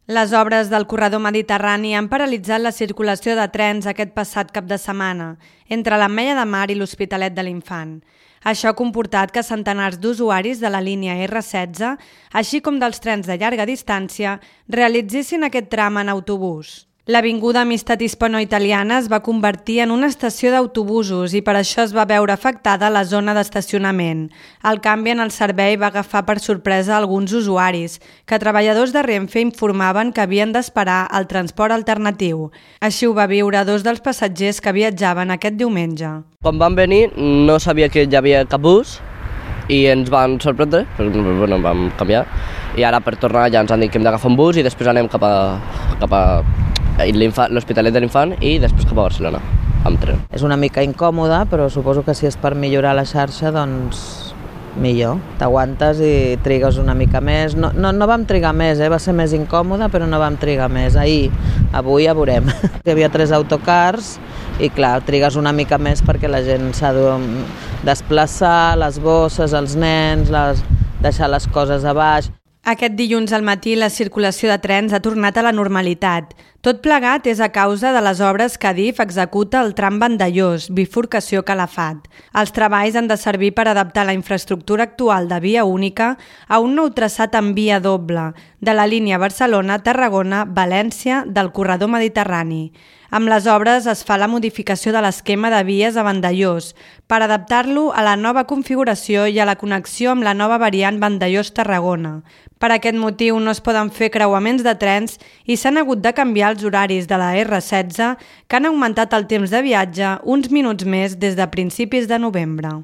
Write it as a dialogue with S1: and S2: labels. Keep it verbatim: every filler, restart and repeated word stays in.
S1: Les obres del corredor mediterrani han paralitzat la circulació de trens aquest passat cap de setmana entre l'Ametlla de Mar i l'Hospitalet de l'Infant. Això ha comportat que centenars d'usuaris de la línia erre setze, així com dels trens de llarga distància, realitzessin aquest tram en autobús. L'avinguda Amistat Hispano-Italiana es va convertir en una estació d'autobusos i per això es va veure afectada la zona d'estacionament. El canvi en el servei va agafar per sorpresa alguns usuaris, que treballadors de Renfe informaven que havien d'esperar el transport alternatiu. Així ho va viure dos dels passatgers que viatjaven aquest diumenge.
S2: Quan vam venir no sabia que hi havia cap bus i ens van sorprendre, però bueno, vam canviar. I ara per tornar ja ens han dit que hem d'agafar un bus i després anem cap a, cap a l'Hospitalet de l'Infant i després cap a Barcelona, amb tren.
S3: És una mica incòmode, però suposo que si és per millorar la xarxa, doncs millor. T'aguantes i trigues una mica més. No, no, no vam trigar més, eh? Va ser més incòmode, però no vam trigar més. Ahir, avui ja veurem. Hi havia tres autocars i clar, trigues una mica més perquè la gent s'ha de desplaçar, les bosses, els nens, les, deixar les coses a baix.
S1: Aquest dilluns al matí la circulació de trens ha tornat a la normalitat. Tot plegat és a causa de les obres que Adif executa al tram Vandellòs, bifurcació Calafat. Els treballs han de servir per adaptar la infraestructura actual de via única a un nou traçat en via doble de la línia Barcelona-Tarragona-València del corredor mediterrani. Amb les obres es fa la modificació de l'esquema de vies a Vandellòs per adaptar-lo a la nova configuració i a la connexió amb la nova variant Vandellòs-Tarragona. Per aquest motiu no es poden fer creuaments de trens i s'han hagut de canviar els horaris de la erre setze, que han augmentat el temps de viatge uns minuts més des de principis de novembre.